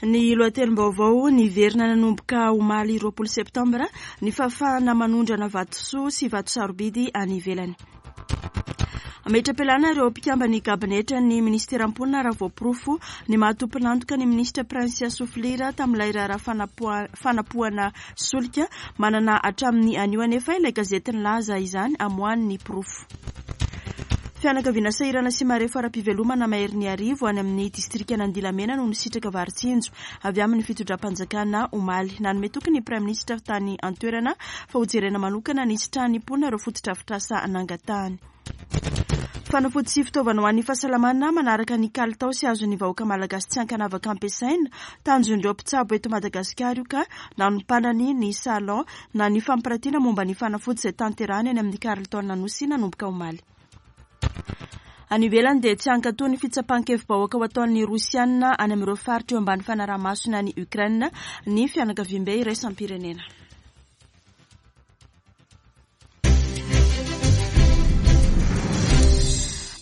Ny lohatenim-baovao niverina nanomboka omaly 20 septambra ny fahafahana manondrana vatosoa sy vato sarobidy any ivelany. Hametra-pialana ireo mpikamban'ny kabinetran'ny minisiteran'ny mponina raha voaporofo ny maha tompon'antoka ny minisitra Princia Souflira tamin'ilay raharaha fanapohana solika. Manana hatramin'ny anio anefa ilay gazety nilaza izany hamoahany ny porofo. Fianakaviana sahirana sy marefo ara-pivelomana maherin'ny arivo any amin'ny distrikan'Andilamena no nisitraka vary tsinjo avy amin'ny fitondram-panjakana omaly. Nanome toky ny Praiminisitra tany an-toerana fa hojerena manokana ny hisitrahan'ny mponina ireo fotodrafitrasa nangatahany. Fanafody sy fitaovana ho an'ny fahasalamana manaraka ny kalitao sy azon'ny vahoaka malagasy tsy ankanavaka ampiasaina. Tanjon'ireo mpitsabo eto Madagasikara io ka nanompanany ny salon na ny fampiratiana momba ny fanafody izay tanterahany any amin'ny Carlton Anosy nanomboka omaly. Any ivelany dia tsy hankatoa ny fitsapan-kevi-bahoaka ho ataon'ny Rosiana any amin'ireo faritra eo ambany fanaraha-masony any Ukraine ny fianakaviambe iraisam-pirenena.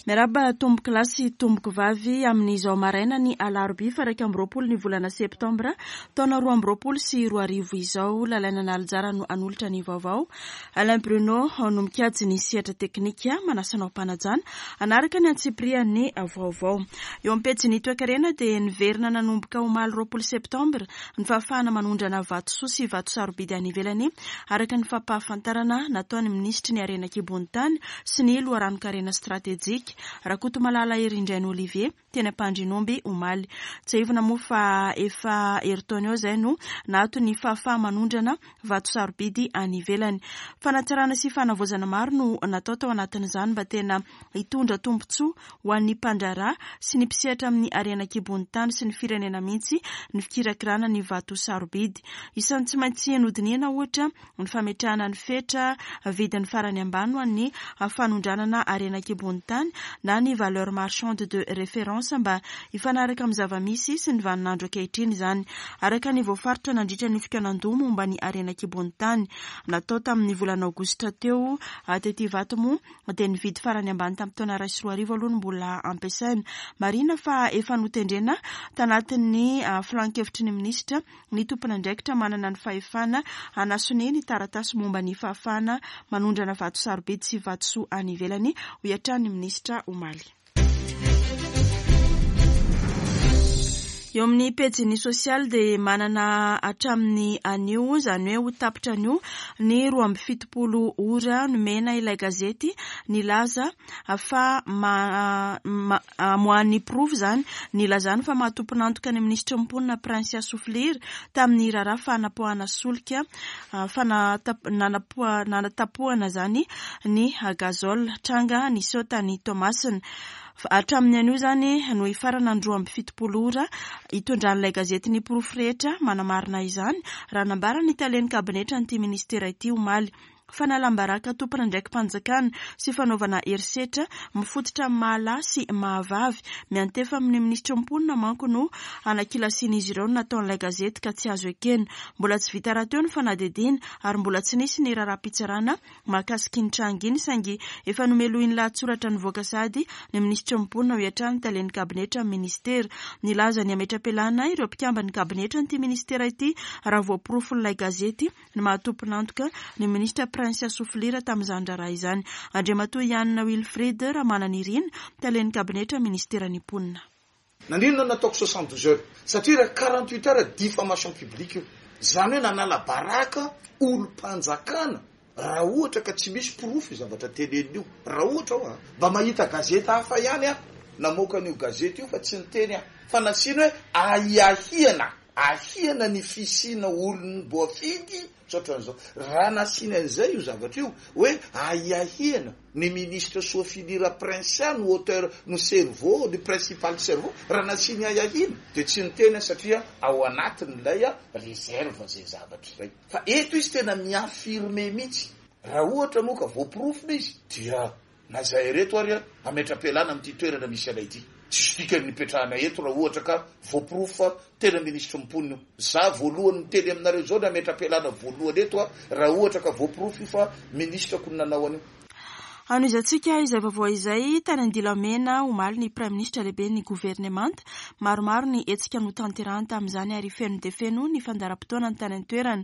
Miarahaba tompoko lahy sy tompoko vavy amin'izao maraina ny alarobia faha 21 ny volana septambra taona 2022 izao. Lalaina Nalijara no hanolotra ny vaovao. Alain Bruno no mikajy ny sehatra teknika. Manasa anao am-panajana hanaraka ny antsipirihan'ny vaovao. Eo amin'ny pejin'ny toekarena dia niverina nanomboka omaly 20 septambra ny fahafahana manondrana vatosoa sy vato sarobidy any ivelany, araka ny fampahafantarana nataon'ny minisitry ny Harena an-kibon'ny tany sy ny loharanon-karena stratejika, Rakotomalala Herindrainy Olivier, teny Ampandrianomby omaly. Tsiahivina moa fa efa herintaona eo izay no naato ny fahafaha-manondrana vato sarobidy any ivelany. Fanatsarana sy fanavaozana maro no natao tao anatin'izany mba tena hitondra tombontsoa ho an'ny mpandraharaha sy ny mpisehatra amin'ny harena an-kibon'ny tany sy ny firenena mihitsy ny fikirakirana ny vato sarobidy. Isan'ny tsy maintsy nodinihana ohatra ny fametrahana ny fetra vidiny farany ambany ho an'ny fanondranana harena an-kibon'ny tany na ny valeur marchande de référence mba hifanaraka amin'ny zava-misy sy ny vaninandro ankehitriny izany araka ny voafaritra nandritra ny fikaonandoha momba ny harena an-kibon'ny tany natao tamin'ny volana aogositra teo tety Ivato moa dia ny vidy farany ambany tamin'ny taona 2001 aloha no mbola ampiasaina. Marihina fa efa notendrena tanatin'ny filan-kevitry ny minisitra ny tompon'andraikitra manana ny fahefana hanasonia ny taratasy momba ny fahafahana manondrana vato sarobidy sy vatosoa any ivelany, hoy hatrany ny minisitra omaly. Eo amin'ny pejin'ny sosialy dia manana hatramin'ny anio, izany hoe ho tapitra anio ny 72 ora nomena ilay gazety nilaza fa amoahan'ny porofo izany nilazany fa maha tompon'antoka ny minisitry ny mponina Princia Soufliry tamin'ny raharaha fanapoahana solika nanatapohana izany ny gazole, tranga niseho tany Toamasina. Hatramin'ny anio izany no hifarana ny 72 ora hitondran'ilay gazety ny porofo rehetra manamarina izany, raha nambaran'ny talen'ny kabinetran'ity minisitera ity omaly. Fanalam-baraka tompon'andraiki-panjakana sy fanaovana herisetra mifototra amin'ny maha lahy sy maha vavy miantefa amin'ny minisitry ny mponina manko no anakilasian'izy ireo ny nataon'ilay gazety ka tsy azo ekena. Mbola tsy vita rahateo ny fanadihadiana ary mbola tsy nisy ny raharaham-pitsarana mahakasika iny tranga iny saingy efa nomelohin'ny lahatsoratra nivoaka sahady ny minisitry ny mponina hoy hatrany ny talen'ny kabinetra amin'ny minisitera. Nilaza ny hametra-pialana ireo mpikamban'ny kabinetran'ity minisitera ity raha voaporofon'ilay gazety ny maha tompon'antoka ny minisitra Princia Souflira tamin'izany raharaha izany. Andriamatoa Yann Wilfried Ramananirina, talen'ny kabinetra minisiteran'ny mponina. Naninona no nataoko 72 heures? Satria raha 48 heures diffamation publique io. Izany hoe nanala baraka olom-panjakana raha ohatra ka tsy misy porofo io zavatra teneniny io. Raha ohatra hoa mba mahita gazety hafa ihany aho namoaka an'io gazety io fa tsy niteny aho fa nasiany hoe ahiahiana. Ahiana ny fisiana olom-boafidy tratran'izao. Raha nasiany an'izay io zavatra io, hoe ahiahiana ny ministre Soafilira Princia no auteur, no cerveau, ny principal cerveau, raha nasiany ahiahiana dia tsy niteny aho satria ao anatin'ilay réserve izay zavatra izay. Fa eto izy tena mi-affirmer mihitsy. Raha ohatra moa ka voaporofo ilay izy dia Na izahay ireto ary hametra-pialana amin'ity toerana misy anay ity. Tsisy dikany ny hipetrahanay eto raha ohatra ka voaporofo fa tena minisitry ny mponina io. Za voalohany miteny aminareo izao ny hametra-pialana voalohany eto aho raha ohatra ka voaporofo io fa minisitrako no nanao an'io. Hanohizantsika izay vaovao izay, tany Andilamena omaly ny Praiminisitra lehiben'ny governemanta. Maromaro ny hetsika notanterahany tamin'izany ary feno dia feno ny fandaharam-potoanany tany an-toerana.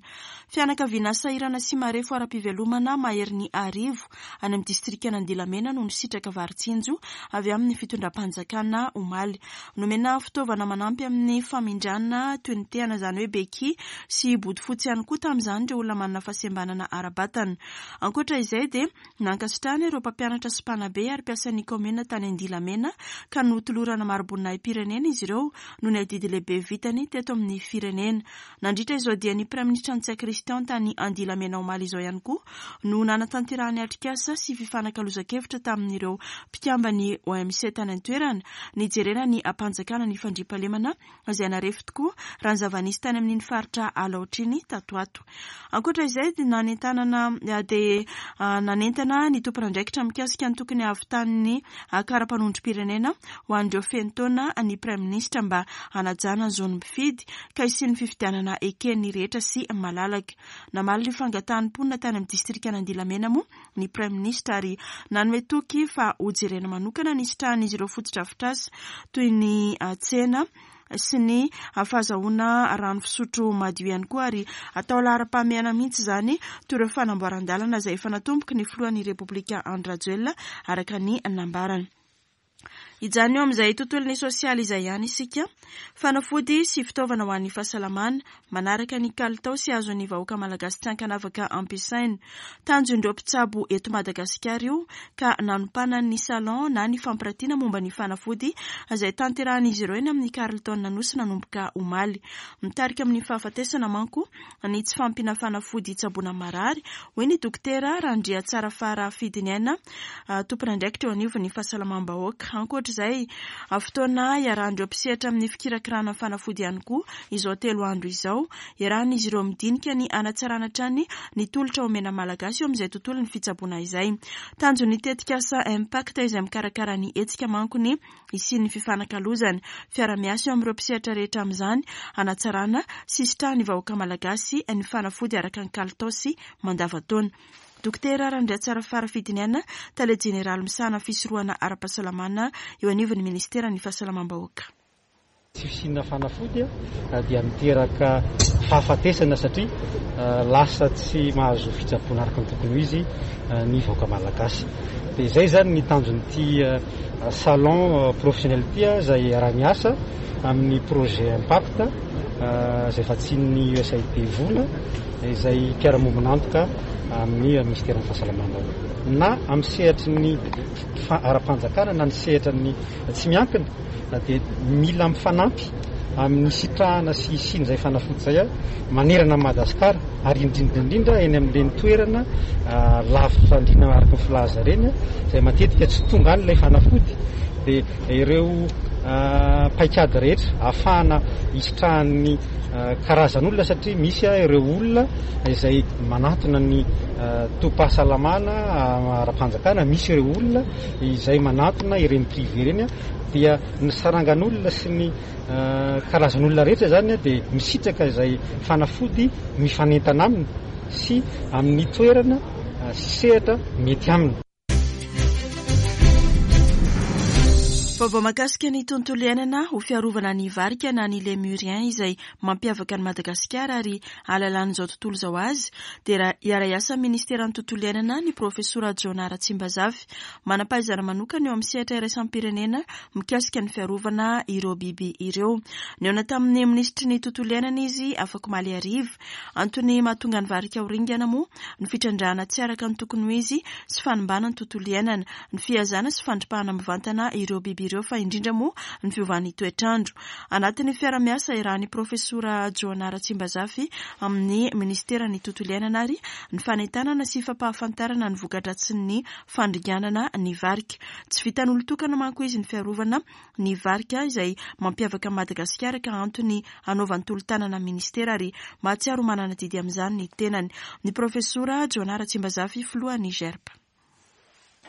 Fianakaviana sahirana sy marefo ara-pivelomana maherin'ny arivo any amin'ny distrikan'Andilamena no nisitraka vary tsinjo avy amin'ny fitondram-panjakana omaly. Nomena fitaovana manampy amin'ny famindrana toy ny tehana izany hoe beky sy bodofotsy ihany koa tamin'izany ireo olona manana fahasembanana ara-batana. Ankoatra izay dia Nankasitrahana ireo mpampianatra sy mpanabe ary mpiasan'ny kaominina tany Andilamena ka notolorana mari-boninahi-pirenena izy ireo noho ny adidy lehibe vitany teto amin'ny firenena. Nandritra izao dian'ny Praiminisitra Ntsay Christian tany Andilamena omaly izao ihany koa no nanatanterahany atrikasa sy fifanakalozan-kevitra tamin'ireo mpikamban'ny OMC tany an-toerana nijerena ny hampanjakana ny fandriampahalemana izay narefo tokoa raha ny zava-nisy tany amin'iny faritra Alaotra iny tato ato. Ankoatra izay dia nanentanana dia nanentana ny tompon'andraikitra mikasika ny tokony hahavitan'ny kara-panondrom-pirenena ho an'ireo feno taona ny Praiminisitra mba hanajana ny zon'ny mpifidy ka hisian'ny fifidianana eken'ny rehetra sy malalaka. Namaly ny fangatahan'ny mponina tany amin'ny distrikan'Andilamena moa ny Praiminisitra ary nanome toky fa hojerena manokana ny hisitrahan'izy ireo fotodrafitrasa toy ny tsena sy ny fahazahoana rano fisotro madio ihany koa ary atao laharam-pahamehana mihitsy izany toy ireo fanamboaran-dalana izay efa natomboky ny filohan'ny Repoblika Andry Rajoelina araka ny nambarany. Hijanona eo amin'izay tontolon'ny sosialy izay ihany isika. Fanafody sy fitaovana ho an'ny fahasalamana, manaraka ny kalitao sy azon'ny vahoaka malagasy tsy ankanavaka ampiasaina. Tanjon'ireo mpitsabo eto Madagasikara io ka nanompanany ny salon na ny fampiratiana momba ny fanafody izay tanterahan'izy ireo eny amin'ny Carlton Anosy nanomboka omaly. Mitarika amin'ny fahafatesana manko ny tsy fahampiana fanafody hitsaboana marary, hoy ny Dokotera Randriatsarafara Fidiniaina, tompon'andraikitra eo anivon'ny fahasalamam-bahoaka. Ankoatra izay, fotoana iarahan'ireo mpisehatra amin'ny fikirakirana fanafody ihany koa izao telo andro izao. Iarahan'izy ireo midinika ny hanatsarana hatrany ny tolotra omena Malagasy eo amin'izay tontolon'ny fitsaboana izay. Tanjon'ny tetikasa Impact izay mikarakara ny hetsika manko ny hisian'ny fifanakalozana, fiara-miasa eo amin'ireo mpisehatra rehetra amin'izany hanatsarana sy hisitrahan'ny vahoaka Malagasy ny fanafody araka ny kalitao sy mandavantaona. Dokotera Randriatsarafara Fidiniana, Tale Jeneraly misahana ny fisorohana ara-pahasalamana eo anivon'ny Ministeran'ny Fahasalamam-bahoaka. Tsy fisiana fanafody dia miteraka fahafatesana satria lasa tsy mahazo fitsaboana araka ny tokony ho izy ny vahoaka malagasy. Dia izay izany ny tanjon'ity salon professionnel ity izay iaraha-miasa amin'ny projet Impact izay vatsian'ny USAID vola izay mpiara-mombon'antoka amin'ny minisiteran'ny fahasalamam-bahoaka na amin'ny sehatry ny ara-panjakana na ny sehatra ny tsy miankina dia mila mifanampy amin'ny sitrahana sy hisian'izay fanafody izay manerana an'i Madagasikara ary indrindra indrindra eny amin'ireny toerana lavitra andriana araka ny filaza ireny izay matetika tsy tonga any ilay fanafody dia ireo paikady rehetra ahafahana hisitrahan'ny karazan'olona satria misy ireo olona izay manatona ny tobim-pahasalamana ara-panjakana, misy ireo olona izay manatona ireny privé ireny dia ny sarangan'olona sy ny karazan'olona rehetra izany dia misitraka izay fanafody mifanentana aminy sy amin'ny toerana sy sehatra mety aminy. Vaovao mahakasika ny tontolo iainana ho fiarovana ny varika na ny lémurien izay mampiavaka an'i Madagasikara ary ahalalan'izao tontolo izao azy dia hiara-hiasa amin'ny ministeran'ny tontolo iainana ny profesora Jonah Ratsimbazafy manam-pahaizana manokana eo amin'ny sehatra iraisam-pirenena mikasika ny fiarovana ireo biby ireo. Nihaona tamin'ny minisitry ny tontolo iainana izy afakomaly hariva. Antony mahatonga ny varika ho ringana moa ny fitrandrahana tsy araka ny tokony ho izy sy fanimbana ny tontolo iainana, ny fihazana sy fandripahana mivantana ireo biby ireo fa indrindra moa ny fiovan'ny toetr'andro. Anatin'ny fiara-miasa iarahan'ny Profesora Joana Ratsimbazafy amin'ny Minisiteran'ny Tontolo iainana ary ny fanentanana sy fampahafantarana ny voka-dratsin'ny fandringanana ny varika. Tsy vitan'olon-tokana manko izy ny fiarovana ny varika izay mampiavaka an'i Madagasikara ka antony hanaovany tolo-tanana amin'ny Minisitera ary mahatsiaro ho manana adidy amin'izany ny tenany. Ny Profesora Jonah Ratsimbazafy, filohan'ny GERP.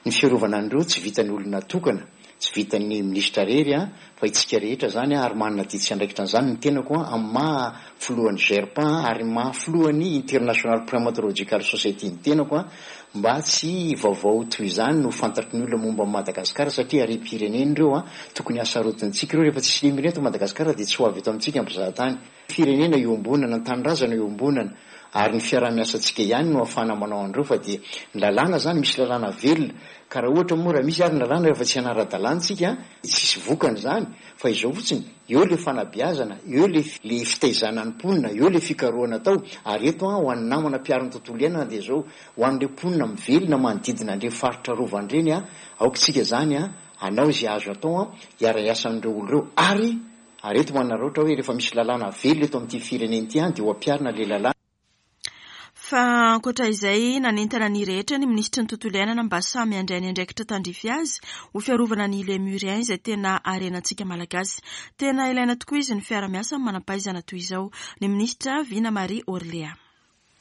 Ny fiarovana an'ireo tsy vitan'ny olona tokana, tsy vitan'ny minisitra irery fa itsika rehetra izany ary manana adidy sy andraikitra an'izany ny tenako amin'ny maha filohan'ny GERPA ary maha filohan'ny International Primatological Society ny tenako mba tsy vaovao toy izany no fantatry ny olona momba an'i Madagasikara satria harem-pirenena ireo tokony hasarotintsika ireo rehefa tsisy lemire eto Madagasikara dia tsy ho avy eto amintsika ny mpizahatany. Firenena iombonana, ny tanindrazana iombonana ary ny fiaraha-miasantsika ihany no ahafahana manao an'ireo fa dia ny lalàna izany misy lalàna velona ka raha ohatra moa raha misy ary ny lalàna rehefa tsy hanara-dalàna tsika tsisy vokany izany fa izao fotsiny eo le fanabeazana eo le le fitaizana ny mponina eo le fikarohana atao ary eto an ho an'ny namana mpiaro ny tontolo iainana dia izao ho an'ireo mponina mivelona manodidina an'ireny faritra arovana ireny an aoka isika izany an hanao izay azo atao an hiara-hiasa amin'ireo olona ireo ary Ary eto manararaotra hoe rehefa misy lalàna velona eto amin'ity firenena ity dia ho ampiharina ilay lalàna. Fa ankoatra izay, nanentana ny rehetra ny minisitry ny tontolo iainana mba samy handray ny andraikitra tandrify azy ho fiarovana ny Lémurien izay tena harenantsika Malagasy. Tena ilaina tokoa izy ny fiara-miasa amin'ny manam-pahaizana toy izao. Ny minisitra Vina Marie Orléa.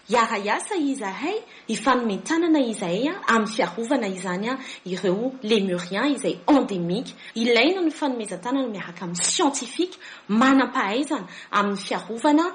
Hiara-hiasa izahay, hifanome tanana izahay amin'ny fiarovana izany ireo Lémuriens izay endémique. Ilaina ny fanomezan-tanana miaraka amin'ny scientifique manam-pahaizana amin'ny fiarovana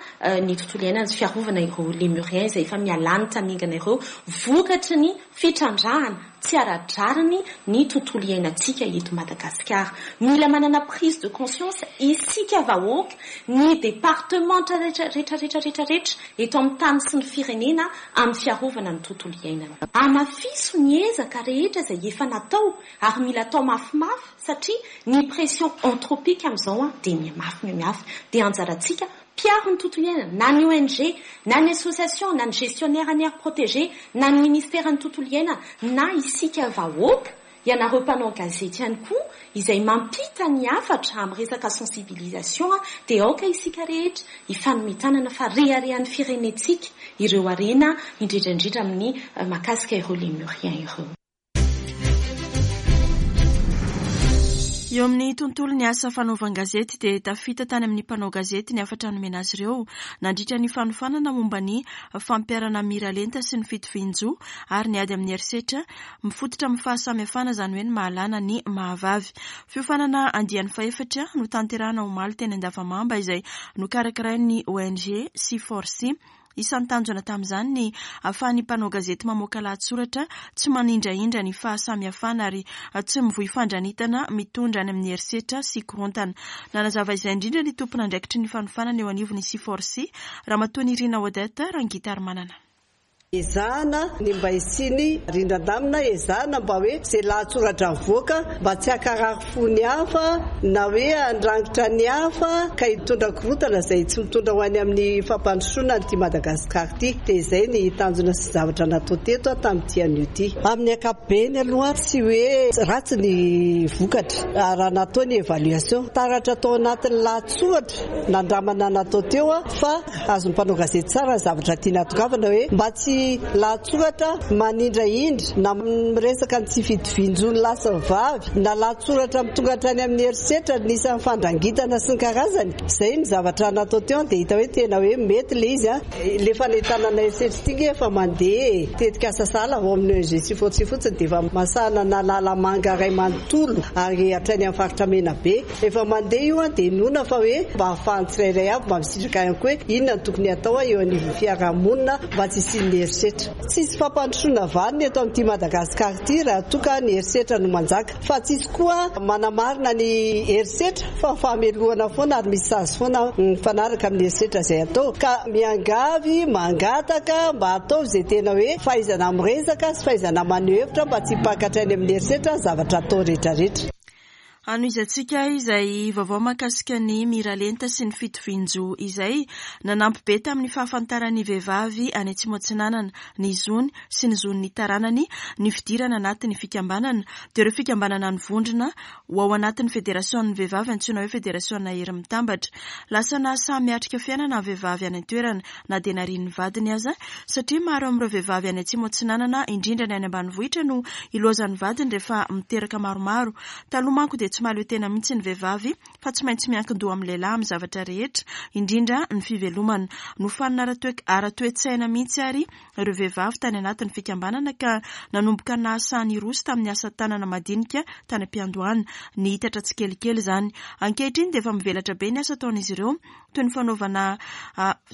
ny tontolo iainana sy fiarovana ireo Lémuriens izay efa mihalany tamingana ireo vokatry ny fitrandrahana tsy ara-drariny ny tontolo iainantsika eto Madagasikara. Mila manana prise de conscience isika vahoaka, ny departemanta rehetra rehetra rehetra rehetra rehetra eto amin'ny tany sy ny firenena amin'ny fiarovana ny tontolo iainana. Hamafiso ny ezaka rehetra izay efa natao ary mila atao mafimafy satria ny pression anthropique amin'izao dia mihamafy mihamafy. Dia anjarantsika Mpiaro ny tontolo iainana, na ny ONG, na ny association, na ny gestionnaire ny aire protégée, na ny ministeran'ny tontolo iainana, na isika vahoaka, ianareo mpanao gazety ihany koa izay mampita ny hafatra amin'ny resaka sensibilisation dia aoka isika rehetra hifanome tanana fa reharehan'ny firenentsika ireo harena indrindra indrindra amin'ny mahakasika ireo lémuriens ireo. Eo amin'ny tontolon'ny asa fanaovan-gazety dia tafita tany amin'ny mpanao gazety ny hafatra nomena azy ireo nandritra ny fanofanana momba ny fampiharana miralenta sy ny fitovian-jo ary ny ady amin'ny herisetra mifototra amin'ny fahasamihafana izany hoe ny mahalana ny mahavavy. Fiofanana andiany fahefatra notanterahana omaly teny Andavamamba izay nokarakarain'ny ONG C-for-C. Isan'ny tanjona tamin'izany ny ahafahan'ny mpanao gazety mamoaka lahatsoratra tsy manindrahindra ny fahasamihafana ary tsy mivoy fandranitana mitondra any amin'ny herisetra sy korontana. Nanazava izay indrindra ny tompon'andraikitry ny fanofanana eo anivon'ny C-for-C, Ramatoa Nirina Odette Rangitarimanana. Ezahana ny mba hisian'ny rindran-damina, ezahana mba hoe izay lahatsoratra avoaka mba tsy hankarary fo ny hafa na hoe handrangitra ny hafa ka hitondra korontana izay tsy mitondra ho any amin'ny fampandrosoana an'ity Madagasikara ity. Dia izay ny tanjona sy zavatra natao teto tamin'ity anio ity. Amin'ny ankapobeny aloha tsy hoe ratsy ny vokatra raha natao ny évaluation. Taratra tao anatin'ny lahatsoratra nandramana natao teo fa Azon'ny mpanao gazety tsara ny zavatra tiana hatongavana hoe mba tsy lahatsoratra manindrahindra na miresaka ny tsy fitovian-jon'ny lahy sy ny vavy na lahatsoratra mitonga hatrany amin'ny herisetra ny isan'ny fandrangitana sy ny karazany. Izay ny zavatra natao teo dia hita hoe tena hoe mety ilay izy. Ilay fanentanana herisetra ity nge efa mandeha e. Tetikasa sahala ao amin'ny ONG Tsifotsy fotsiny dia efa masahana an'Analamanga iray manontolo ary hatrany amin'ny faritra Menabe. Efa mandeha io an, dia inoana fa hoe mba ahafahan'ny tsirairay avy mba misitraka ihany koa hoe inona no tokony hatao eo anivon'ny fiaraha-monina mba tsy hisian'ny herisetra. Tsisy fampandrosoana vanona eto amin'ity Madagasikara ity raha toa ka ny herisetra no manjaka. Fa tsisy koa manamarina ny herisetra fa fahamelohana foana ary misy sazy foana mifanaraka amin'ny herisetra izay atao. Ka miangavy, mangataka mba ataovy izay tena hoe fahaizana miresaka sy fahaizana maneho hevitra mba tsy hipaka hatrany amin'ny herisetra ny zavatra atao rehetrarehetra. Hanohizantsika izay vaovao mahakasika ny miralenta sy ny fitovian-jo izay. Nanampy be tamin'ny fahafantaran'ny vehivavy any Atsimo Atsinanana ny zony sy ny zon'ny taranany ny fidirana anatin'ny fikambanana, dia ireo fikambanana nivondrona ho ao anatin'ny federasion'ny vehivavy antsoina hoe Federasiona Hery Mitambatra. Lasa nahasahy miatrika fiainana ny vehivavy any an-toerana na dia narian'ny vadiny aza satria maro amin'ireo vehivavy any Atsimo Atsinanana indrindra ny any ambanivohitra no ilaozan'ny vadiny rehefa miteraka maromaro. Taloha manko dia. dia tsy mahaleo tena mihitsy ny vehivavy fa tsy maintsy miankin-doha amin'ny lehilahy amin'ny zavatra rehetra, indrindra ny fivelomana. Nofanina ara-toe-tsaina mihitsy ary ireo vehivavy tany anatin'ny fikambanana ka nanomboka nahasahy niroso tamin'ny asa tanana madinika tany am-piandohana. Nihitatra tsikelikely izany. Ankehitriny dia efa mivelatra be ny asa ataon'izy ireo toy ny fanaovana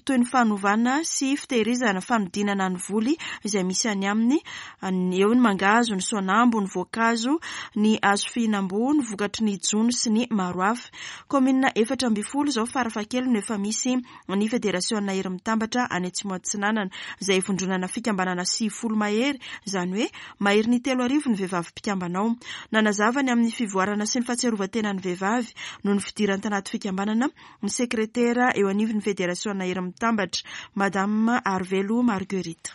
toy ny fanovana sy fitehirizana, fanodinana ny voly izay misy any aminy, eo ny mangahazo, ny soanambo, ny voankazo, ny hazo fihinam-boa, ny vokatry ny jono sy ny maro hafa. Kaominina 14 izao farafahakeliny no efa misy ny Federasiona Hery Mitambatra any Atsimo Atsinanana, izay ivondronana fikambanana 90 mahery, izany hoe maherin'ny 3000 ny vehivavy mpikambana ao. Nanazava ny amin'ny fivoarana sy ny fahatsiarovan-tenan'ny vehivavy noho ny fidirany tanaty fikambanana ny sekretera eo anivon'ny Federasiona Hery Mitambatra, Madame Arivelo Marguerite.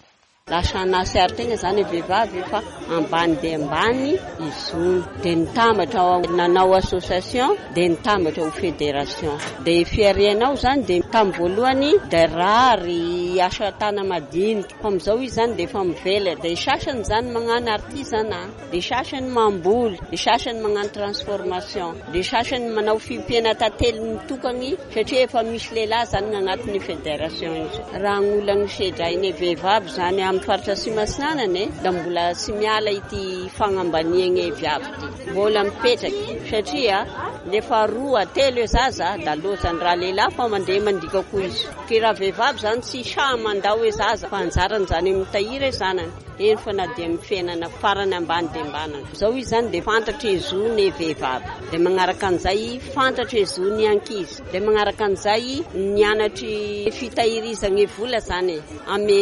Lasa nahatsiaro tegna zany vehivavy fa ambany dia ambany ny zony. Dia nitambatra nanao association dia nitambatra ho fédération. Dia fiarianao zany dia tamin'ny voalohany dia rary asa tana madinika. Fa amin'izao izy zany dia efa mivelatra. Dia sasany zany magnano artisanat, dia sasany mamboly, dia sasany magnano transformation, dia sasany manao fiompiana tantely mitokagny satria efa misy lehilahy zany agnatin'ny fédération izy. Raha ny olana sedrain'ny vehivavy zany amin'ny faritra Atsimo Atsinanana e, da mbola tsy miala ity fagnambaniagna viavy ity. Mbola mipetraky satria lefa roa telo e zaza da lozany raha lehilahy fa mandeha mandika koa izy. Ke raha vehivavy zany tsy sahy mandao e zaza fa anjarany zany mitahiry e zanany. Eny fa na dia amin'ny fiainana farany ambany dia ambany. Zao izy zany dia fantatry e zo ny vehivavy. Dia magnaraka an'izay fantatry e zo ny ankizy. Dia magnaraka an'izay nianatry fitahirizagny vola zany e, amy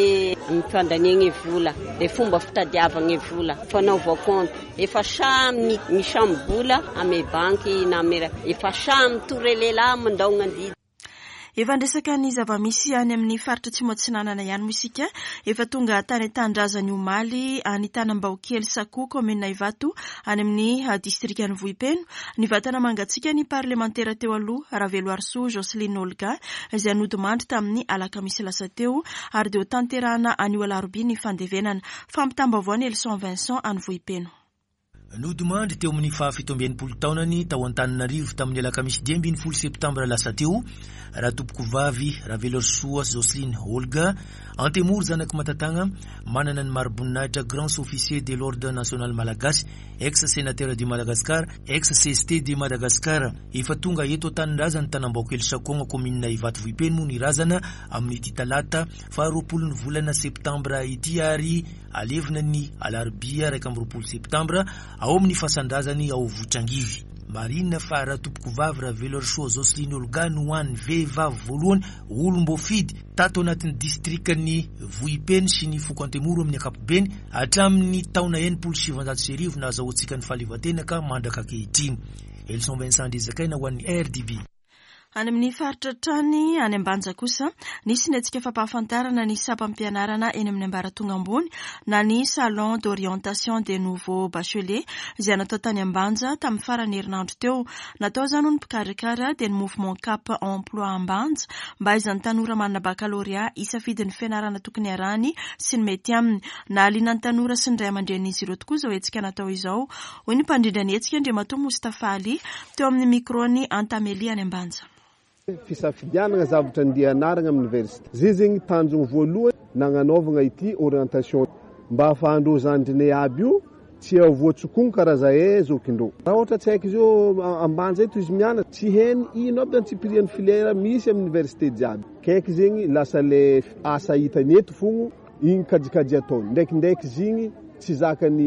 fandaniagny vola, dia fomba fitadiavagny vola, fanaova compte. Efa samy misamy-bola amy banky na amy raha. Efa samy tore lehilahy mandao gn'andidy. Efa niresaka ny zava-misy any amin'ny faritra Atsimo Atsinanana ihany moa isika. Efa tonga tany an-tanindrazany omaly any Tanambaokely Sakoa, kaominina Ivato, any amin'ny distrikan'i Vohipeno. Ny vatana mangatsiaka ny parlemantera teo aloha, Raveloarisoa Jocelyne Olga, izay nodimandry tamin'ny alakamisy lasa teo, ary dia hotanterahana anio alarobia ny fandevenana. Fampitam-baovao ny Elson Vincent any Vohipeno. Nodimandry teo amin'ny faha 67 taonany tao Antananarivo tamin'ny alakamisy 15 septambra lasa teo Ratompokovavy Raveloarisoa Jocelyne Olga, Antemoro zanak'i Matatagna, manana ny mari-boninahitra Grand Officier de l'Ordre National Malagasy, ex-sénateur de Madagascar, ex-CST de Madagascar. Efa tonga eto an-tanindrazany Tanambaokely Sakoagna kaominina Ivato Vohipeno moa ny razana amin'ity talata faha 20 ny volana septambra ity ary alevina ny alarobia 21 septambra ao amin'ny fasan-drazany ao Vohitrangivy. Marihina fa Ratompokovavy Raveloarisoa Jocelyne Olga no hany vehivavy voalohany olom-boafidy tato anatin'ny distrikan'i Vohipeno sy ny foko Antemoro amin'ny ankapobeny hatramin'ny taona 1960 nahazahoantsika ny fahaleovantena ka mandraka ankehitriny. Elson Vincent Andriazakaina ho an'ny RDB. Any amin'ny faritra hatrany, any Ambanja kosa, nisy ny hetsika fampahafantarana ny sampam-pianarana eny amin'ny ambaratonga ambony na ny Salon d'orientation des nouveaux bacheliers izay natao tany Ambanja tamin'ny faran'ny herinandro teo. Natao izany hoy ny mpikarakara dia ny Mouvement Cap Emploi Ambanja mba hahaizan'ny tanora manana bakalorea hisafidy ny fianarana tokony harahiny sy ny mety aminy. Nahaliana ny tanora sy ny ray aman-drenin'izy ireo tokoa izao hetsika natao izao hoy ny mpandrindra ny hetsika Andriamatoa Moustapha Ali teo amin'ny micro-n'i Antameli any Ambanja. Fisafidianana zavatra andeha hianarana amin'ny université. Zay zegny tanjogno voalohany nagnanaovagna ity orientation mba ahafahandreo zandrinay aby io tsy havoatsokogno karaha zahay zokindreo. Raha ohatra tsy haiko zao Ambanja eto izy mianatra tsy hainy ino aby antsipirian'ny filière misy amin'ny université jiaby. Kaiky zegny lasa le asa hitany eto fogno Igny kajikajy ataony ndraikindraiky zigny tsy zakany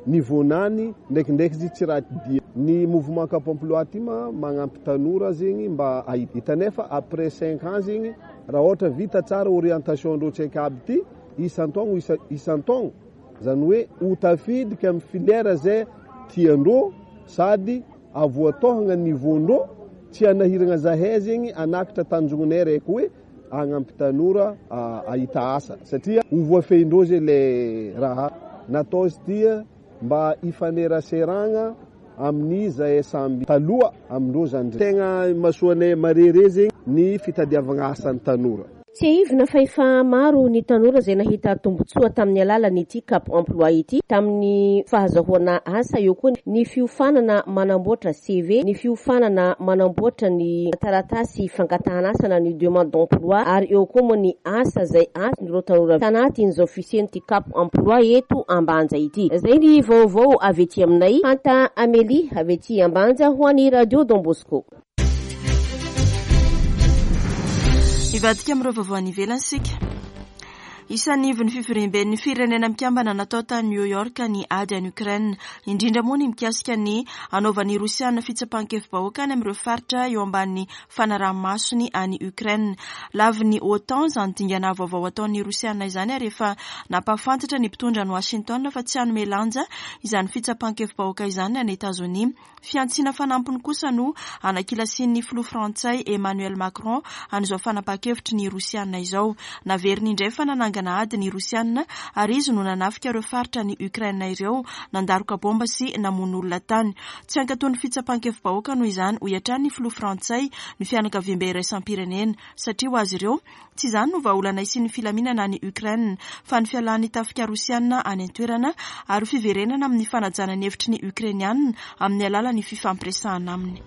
niveau-nany, ndraikindraiky izy tsy raha dia. Ny mouvement Cap Emploi ty ma magnampy tanora zegny mba hahita. Hitanay fa après cinq ans zegny raha ôhatra vita tsara orientation-ndreo tsaiky aby ty isan-taogno isan-taogno, zany hoe ho tafidika amy filière zay tiandreo sady avoatôhagna niveau-ndreo, tsy hanahiragna zahay zegny hanakatra tanjognonay raiky hoe hagnampy tanora hahita asa satria ho voafehindreo zay le raha natao izy ty mba hifaneraseragna amin'ny zahay samby taloha amindreo zandry. Tegna imasoanay marere zegny ny fitadiavagna asan'ny tanora. Tsiahivina fa efa maro ny tanora izay nahita tombontsoa tamin'ny alalan'ity Cap Emploi ity tamin'ny fahazahoana asa, eo koa ny fiofanana manamboatra CV, ny fiofanana manamboatra ny taratasy fangatahana asa na ny demande d'emploi ary eo koa moa ny asa izay azon'ireo tanora tanatin'izao fisian'ity Cap Emploi eto Ambanja ity. Izay ny vaovao avy ety aminay. Fanta Amélie avy ety Ambanja ho an'ny Radio Don Bosco. Hivadika amin'ireo vaovao any ivelany isika. Isan'ny ivon'ny fivoriamben'ny Firenena Mikambana natao tany New York ny ady any Ukraine, indrindra moa ny mikasika ny hanaovan'ny Rosiana fitsapan-kevi-bahoaka any amin'ireo faritra eo ambanin'ny fanaraha-masony any Ukraine. Lavin'ny OTAN izany dingana vaovao ataon'ny Rosiana izany ary efa nampahafantatra ny mpitondra any Washington fa tsy hanome lanja izany fitsapan-kevi-bahoaka izany ny any Etazonia. Fihantsiana fanampiny kosa no anakilasian'ny filoha frantsay Emmanuel Macron an'izao fanapahan-kevitry ny Rosiana izao. Naveriny indray fa nanangana ady ny Rosiana ary izy no nanafika ireo faritra any Ukraine ireo, nandaroka bomba sy namono olona tany. Tsy hankatoa ny fitsapan-kevi-bahoaka noho izany, hoy hatrany ny filoha frantsay, ny fianakaviambe iraisam-pirenena, satria ho azy ireo, Tsy izany no vahaolana hisian'ny filaminana any Ukraine, fa ny fialan'ny tafika Rosiana any an-toerana ary ho fiverenana amin'ny fanajana ny hevitry ny Ukrainiana amin'ny alalan'ny fifampiresahana aminy.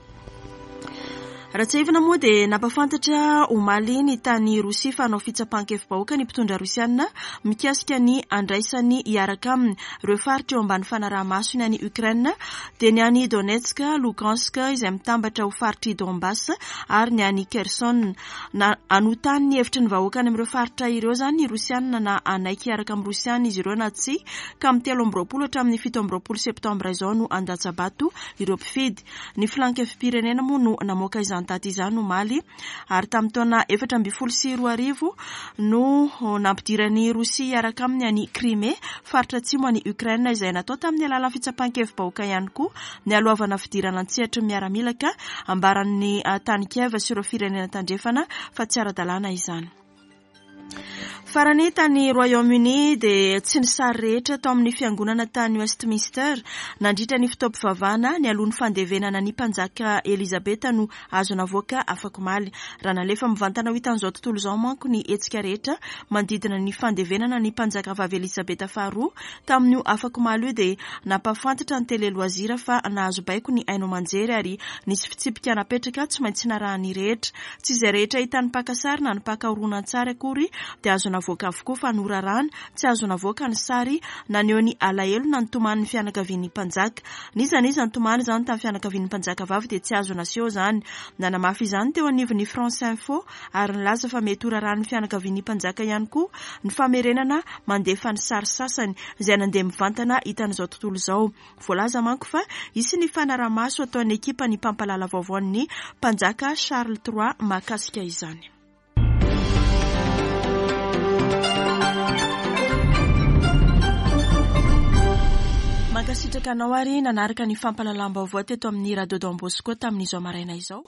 Raha tsiahivina moa dia nampahafantatra omaly ny tany Rosia fa hanao fitsapan-kevi-bahoaka ny mpitondra Rosiana mikasika ny handraisany hiaraka aminy ireo faritra eo ambany fanaraha-masony any Ukraine dia ny any Donetsk, Lugansk izay mitambatra ho faritr'i Donbass ary ny any Kherson. Na hanontany ny hevitry ny vahoaka any amin'ireo faritra ireo izany ny Rosiana na hanaiky hiaraka amin'ny Rosiana izy ireo na tsia, ka amin'ny 23 hatramin'ny 27 septambra izao no handatsa-bato ireo mpifidy. Ny Filan-kevi-pirenena moa no namoaka izany daty izany omaly ary tamin'ny taona 2014 no nampidiran'i Rosia hiaraka aminy an'i Crimée, faritra atsimo any Ukraine izay natao tamin'ny alalan'ny fitsapan-kevi-bahoaka ihany koa nialohavana fidirana an-tsehatry ny miaramila ka ambaran'ny tany Kiev sy ireo firenena tandrefana fa tsy ara-dalàna izany. Farany tany Royaume-Uni dia tsy ny sary rehetra tao amin'ny fiangonana tany Westminster nandritra ny fotoam-pivavahana nialoha ny fandevenana ny mpanjaka Elizabeth no azo navoaka afakomaly. Raha nalefa mivantana ho hitan'izao tontolo izao manko ny hetsika rehetra manodidina ny fandevenana ny mpanjakavavy Elizabeth faharoa tamin'io afakomaly io dia nampahafantatra ny Télé Loisirs fa nahazo baiko ny haino aman-jery ary nisy fitsipika napetraka tsy maintsy narahan'ny rehetra. Tsy izay rehetra hitan'ny mpaka sary na ny mpaka horonantsary akory dia azo navoaka avokoa fa norarana tsy azo navoaka ny sary naneho ny alahelo na ny tomanin'ny fianakavian'ny mpanjaka. N'iza n'iza nitomany izany tamin'ny fianakavian'ny mpanjaka vavy dia tsy azo naseho izany. Nanamafy izany teo anivon'ny France Info ary nilaza fa mety horarahan'ny fianakavian'ny mpanjaka ihany koa ny famerenana mandefa ny sary sasany izay nandeha mivantana hitan'izao tontolo izao. Voalaza manko fa hisy ny fanaraha-maso ataon'ny ekipan'ny mpampalala vaovaon'ny mpanjaka Charles trois mahakasika izany. Mankasitraka anao ary nanaraka ny fampahalalam-baovao teto amin'ny Radio Don Bosco tamin'izao maraina izao.